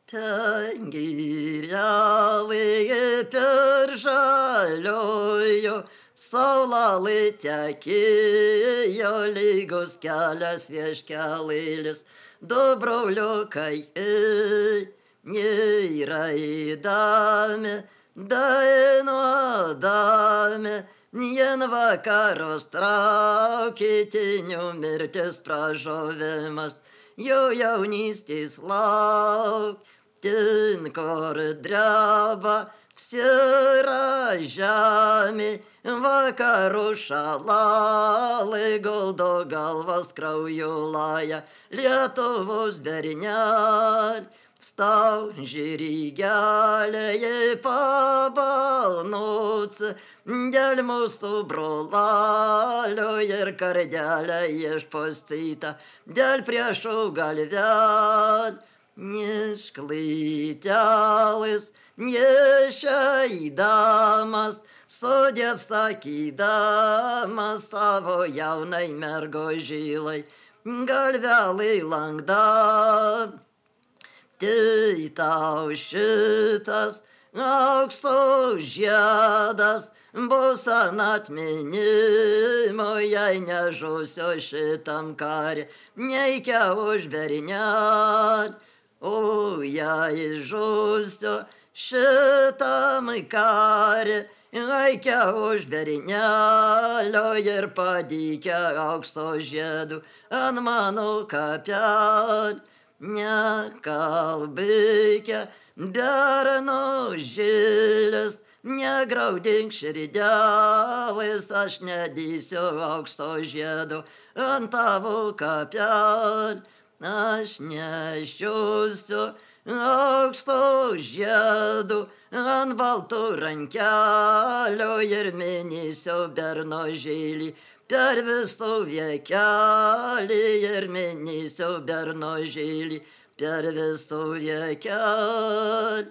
Ten girelį per žaliojo, saulelė tekėjo, lygus kelias vieškelėlis, du broliukai neįraidami, dainuodami, vien vakarus traukė tinių mirtis pražuvimas, jų jaunystės lauk. Ten, kur dreba sira žemė, vakarų šalalai guldo galvas krauju laja, Lietuvos bernel, stau žirgelėje pabalnoci, dėl mūsų brolalio ir kardelę išpustyta, dėl priešų galvel. Nešklytelis, nešeidamas, sudėv sakydamas savo jaunai mergo žilai, galvelį langda. Tai tau šitas aukso žiedas bus ant atminimo, jei nežūsiu šitam kare, neikia už bernelį. O jei žūsiu šitam kare, aikia už bernelio ir padėkia aukso žiedų ant mano kapelį. Nekalbėkia berno žilės, negraudink širdelės, aš nedėsiu aukso žiedų ant tavo kapelį. Aš nešiosiu aukso žiedų ant baltų rankelio ir minėsiu berno žilį per visų viekelį ir minėsiu berno žilį per visų viekelį.